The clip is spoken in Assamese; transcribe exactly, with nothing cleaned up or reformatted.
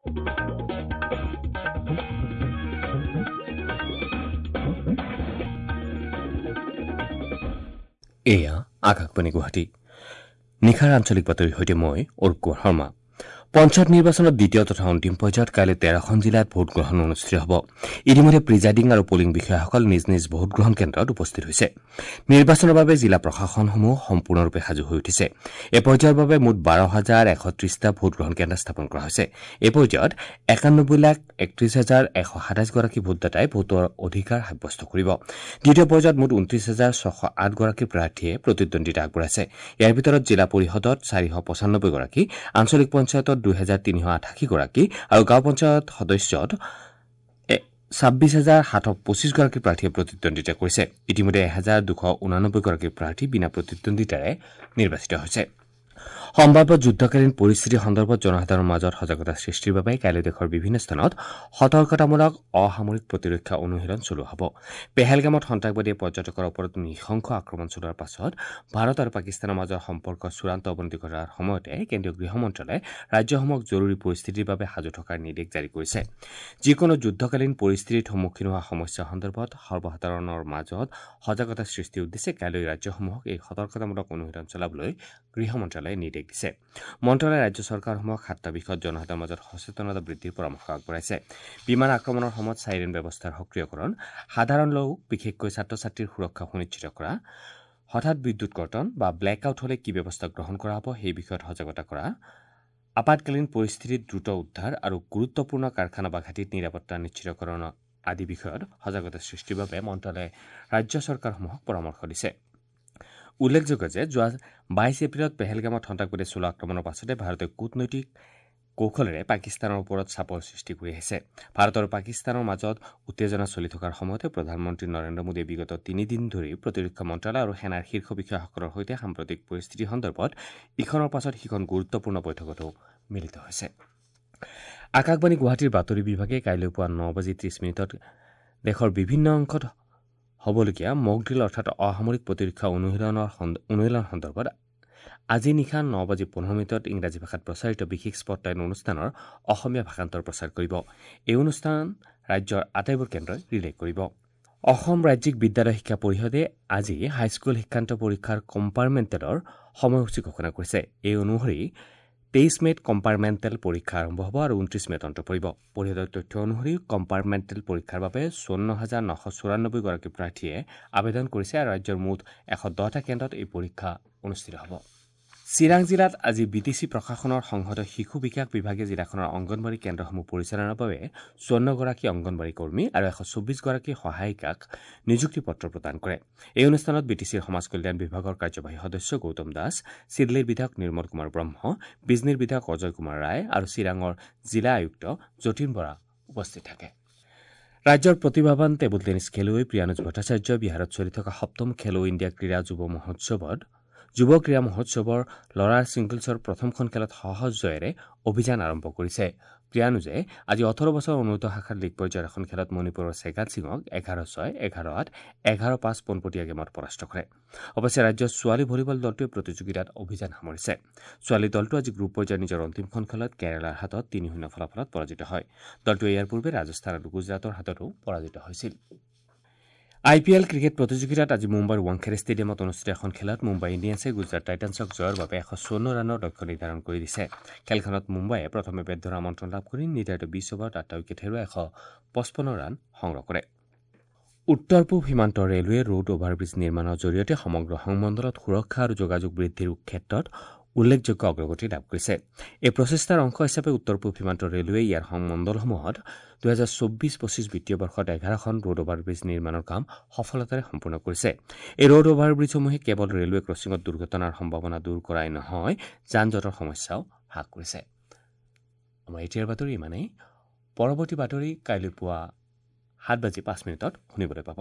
এয়া আকাশবাণী গুৱাহাটী। নিশাৰ আঞ্চলিক বাতৰিৰ সৈতে মই অৰূপ কুমাৰ শৰ্মা। পঞ্চায়ত নিৰ্বাচনৰ দ্বিতীয় তথা অন্তিম পৰ্যায়ত কাইলৈ তেৰখন জিলাত ভোটগ্ৰহণ অনুষ্ঠিত হ'ব। ইতিমধ্যে প্ৰিজাইডিং আৰু পলিং বিষয়াসকল নিজ নিজ ভোটগ্ৰহণ কেন্দ্ৰত উপস্থিত হৈছে। নিৰ্বাচনৰ বাবে জিলা প্ৰশাসনসমূহ সম্পূৰ্ণৰূপে সাজু হৈ উঠিছে। এই পৰ্যায়ৰ বাবে মুঠ বাৰ হাজাৰ এশ ত্ৰিশটা ভোটগ্ৰহণ কেন্দ্ৰ স্থাপন কৰা হৈছে। এই পৰ্যায়ত একানব্বৈ লাখ একত্ৰিশ হাজাৰ এশ সাতাইছগৰাকী ভোটদাতাই ভোটৰ অধিকাৰ সাব্যস্ত কৰিব। দ্বিতীয় পৰ্যায়ত মুঠ ঊনত্ৰিশ হাজাৰ ছশ আঠগৰাকী প্ৰাৰ্থীয়ে প্ৰতিদ্বন্দ্বিতা আগবঢ়াইছে। ইয়াৰ ভিতৰত জিলা পৰিষদত চাৰিশ পঁচানব্বৈগৰাকী, আঞ্চলিক পঞ্চায়তত দুই হাজাৰ তিনিশ আঠাশীগৰাকী আৰু গাঁও পঞ্চায়ত সদস্যত ছাব্বিছ হাজাৰ সাতশ পঁচিছগৰাকী প্ৰাৰ্থীয়ে প্ৰতিদ্বন্দ্বিতা কৰিছে। ইতিমধ্যে এহেজাৰ দুশ ঊনানব্বৈগৰাকী প্ৰাৰ্থী বিনা প্ৰতিদ্বন্দ্বিতাৰে নিৰ্বাচিত হৈছে। সম্ভাৱ্য যুদ্ধকালীন পৰিস্থিতি সন্দৰ্ভত জনসাধাৰণৰ মাজত সজাগতা সৃষ্টিৰ বাবে কাইলৈ দেশৰ বিভিন্ন স্থানত সতৰ্কতামূলক অসামৰিক প্ৰতিৰক্ষা অনুশীলন চলোৱা হ'ব। পেহেলগামত সন্ত্ৰাসবাদীয়ে পৰ্যটকৰ ওপৰত নৃশংস আক্ৰমণ চলোৱাৰ পাছত ভাৰত আৰু পাকিস্তানৰ মাজৰ সম্পৰ্ক চূড়ান্ত অৱনতি ঘটাৰ সময়তে কেন্দ্ৰীয় গৃহ মন্ত্ৰালয়ে ৰাজ্যসমূহক জৰুৰী পৰিস্থিতিৰ বাবে সাজু থকাৰ নিৰ্দেশ জাৰি কৰিছে। যিকোনো যুদ্ধকালীন পৰিস্থিতিত সন্মুখীন হোৱা সমস্যা সন্দৰ্ভত সৰ্বসাধাৰণৰ মাজত সজাগতা সৃষ্টিৰ উদ্দেশ্যে কাইলৈ ৰাজ্যসমূহক এই সতৰ্কতামূলক অনুশীলন চলাবলৈ গৃহ মন্ত্ৰালয়ে নিৰ্দেশ দিছে। মন্ত্ৰালয়ে ৰাজ্য চৰকাৰসমূহক সাতটা বিষয়ত জনসাধাৰণৰ মাজত সচেতনতা বৃদ্ধিৰ পৰামৰ্শ আগবঢ়াইছে। বিমান আক্ৰমণৰ সময়ত চাইৰেন ব্যৱস্থাৰ সক্ৰিয়কৰণ, সাধাৰণ লোক বিশেষকৈ ছাত্ৰ ছাত্ৰীৰ সুৰক্ষা সুনিশ্চিত কৰা, হঠাৎ বিদ্যুৎ কৰ্তন বা ব্লেক আউট হ'লে কি ব্যৱস্থা গ্ৰহণ কৰা হ'ব সেই বিষয়ত সজাগতা কৰা, আপাতকালীন পৰিস্থিতিত দ্ৰুত উদ্ধাৰ আৰু গুৰুত্বপূৰ্ণ কাৰখানা বা ঘাটিত নিৰাপত্তা নিশ্চিতকৰণ আদি বিষয়ত সজাগতা সৃষ্টিৰ বাবে মন্ত্ৰালয়ে ৰাজ্য চৰকাৰসমূহক পৰামৰ্শ দিছে। উল্লেখযোগ্য যে যোৱা বাইছ এপ্ৰিলত পেহেলগামত সন্ত্ৰাসবাদীয়ে চলোৱা আক্ৰমণৰ পাছতে ভাৰতে কূটনৈতিক কৌশলেৰে পাকিস্তানৰ ওপৰত চাপৰ সৃষ্টি কৰি আহিছে। ভাৰত আৰু পাকিস্তানৰ মাজত উত্তেজনা চলি থকাৰ সময়তে প্ৰধানমন্ত্ৰী নৰেন্দ্ৰ মোদীয়ে বিগত তিনিদিন ধৰি প্ৰতিৰক্ষা মন্ত্ৰালয় আৰু সেনাৰ শীৰ্ষ বিষয়াসকলৰ সৈতে সাম্প্ৰতিক পৰিস্থিতি সন্দৰ্ভত ইখনৰ পাছত সিখন গুৰুত্বপূৰ্ণ বৈঠকতো মিলিত হৈছে। আকাশবাণী গুৱাহাটীৰ বাতৰি বিভাগে কাইলৈ পুৱা ন বাজি ত্ৰিশ মিনিটত দেশৰ বিভিন্ন অংশত হ'বলগীয়া মকড্ৰিল অৰ্থাৎ অসামৰিক প্ৰতিৰক্ষা অনুশীলনৰ অনুশীলন সন্দৰ্ভত আজি নিশা ন বাজি পোন্ধৰ মিনিটত ইংৰাজী ভাষাত প্ৰচাৰিত বিশেষ স্পটলাইট অনুষ্ঠানৰ অসমীয়া ভাষান্তৰ প্ৰচাৰ কৰিব। এই অনুষ্ঠান ৰাজ্যৰ আটাইবোৰ কেন্দ্ৰই ৰিলে কৰিব। অসম ৰাজ্যিক বিদ্যালয় শিক্ষা পৰিষদে আজি হাইস্কুল শিক্ষান্ত পৰীক্ষাৰ কম্পাৰ্টমেণ্টেলৰ সময়সূচী ঘোষণা কৰিছে। এই অনুসৰি তেইছ মে'ত কম্পাৰ্টমেণ্টেল পৰীক্ষা আৰম্ভ হ'ব আৰু ঊনত্ৰিছ মে'ত অন্ত পৰিব। পৰিষদৰ তথ্য অনুসৰি কম্পাৰ্টমেণ্টেল পৰীক্ষাৰ বাবে চৌৱন্ন হাজাৰ নশ চৌৰান্নব্বৈগৰাকী প্ৰাৰ্থীয়ে আবেদন কৰিছে আৰু ৰাজ্যৰ মুঠ এশ দহটা কেন্দ্ৰত এই পৰীক্ষা অনুষ্ঠিত হ'ব। চিৰাং জিলাত আজি বি টি চি প্ৰশাসনৰ সংহত শিশু বিকাশ বিভাগে জিলাখনৰ অংগনবাড়ী কেন্দ্ৰসমূহ পৰিচালনাৰ বাবে চৌৱন্নগৰাকী অংগনবাড়ী কৰ্মী আৰু এশ চৌব্বিছগৰাকী সহায়িকাক নিযুক্তি পত্ৰ প্ৰদান কৰে। এই অনুষ্ঠানত বি টি চিৰ সমাজ কল্যাণ বিভাগৰ কাৰ্যবাহী সদস্য গৌতম দাস, চিদলীৰ বিধায়ক নিৰ্মল কুমাৰ ব্ৰহ্ম, বিজনীৰ বিধায়ক অজয় কুমাৰ ৰায় আৰু চিৰাঙৰ জিলা আয়ুক্ত যতীন বৰা উপস্থিত থাকে। ৰাজ্যৰ প্ৰতিভাৱান টেবুল টেনিছ খেলুৱৈ প্ৰিয়ানুজ ভট্টাচাৰ্যই বিহাৰত চলি থকা সপ্তম খেলো ইণ্ডিয়া ক্ৰীড়া যুৱ মহোৎসৱত যুৱ ক্ৰীড়া মহোৎসৱৰ ল'ৰাৰ ছিংগলছৰ প্ৰথমখন খেলত সহজ জয়েৰে অভিযান আৰম্ভ কৰিছে। প্ৰিয়ানুজে আজি ওঠৰ বছৰ অনুৰ্ধ শাখাৰ লীগ পৰ্যায়ৰ এখন খেলত মণিপুৰৰ চেগাত সিঙক এঘাৰ ছয়, এঘাৰ আঠ, এঘাৰ পাঁচ পোনপটীয়া গেমত পৰাস্ত কৰে। অৱশ্যে ৰাজ্যৰ ছোৱালী ভলীবল দলটোৱে প্ৰতিযোগিতাত অভিযান সামৰিছে। ছোৱালী দলটো আজি গ্ৰুপ পৰ্যায়ৰ নিজৰ অন্তিমখন খেলত কেৰালাৰ হাতত তিনি শূন্য ফলাফলত পৰাজিত হয়। দলটোৱে ইয়াৰ পূৰ্বে ৰাজস্থান আৰু গুজৰাটৰ হাততো পৰাজিত হৈছিল। আই পি এল ক্ৰিকেট প্ৰতিযোগিতাত আজি মুম্বাইৰ ৱাংখেড়ে ষ্টেডিয়ামত অনুষ্ঠিত এখন খেলত মুম্বাই ইণ্ডিয়ানছে গুজৰাট টাইটানছক জয়ৰ বাবে এশ চৌৱন্ন ৰানৰ লক্ষ্য নিৰ্ধাৰণ কৰি দিছে। খেলখনত মুম্বাইয়ে প্ৰথমে বেট ধৰা আমন্ত্ৰণ লাভ কৰি নিৰ্ধাৰিত বিছ অভাৰত আঠটা উইকেট হেৰুৱাই এশ পঁচপন্ন ৰান সংগ্ৰহ কৰে। উত্তৰ পূব সীমান্ত ৰেলৱে ৰোড অভাৰব্ৰিজ নিৰ্মাণৰ জৰিয়তে সমগ্ৰ সংমণ্ডলত সুৰক্ষা আৰু যোগাযোগ বৃদ্ধিৰ ক্ষেত্ৰত উল্লেখযোগ্য অগ্ৰগতি লাভ কৰিছে। এই প্ৰচেষ্টাৰ অংশ হিচাপে উত্তৰ পূব সীমান্ত ৰেলৱে ইয়াৰ সংমণ্ডলসমূহত দুহেজাৰ চৌব্বিছ পঁচিছ বিত্তীয় বৰ্ষত এঘাৰখন ৰোড অভাৰব্ৰিজ নিৰ্মাণৰ কাম সফলতাৰে সম্পূৰ্ণ কৰিছে। এই ৰোড অভাৰব্ৰিজসমূহে কেৱল ৰেলৱে ক্ৰছিঙত দুৰ্ঘটনাৰ সম্ভাৱনা দূৰ কৰাই নহয়, যান জঁটৰ সমস্যাও হ্ৰাস কৰিছে। আমাৰ এতিয়াৰ বাতৰি ইমানেই। পৰৱৰ্তী বাতৰি কাইলৈ পুৱা সাত বাজি পাঁচ মিনিটত শুনিবলৈ পাব।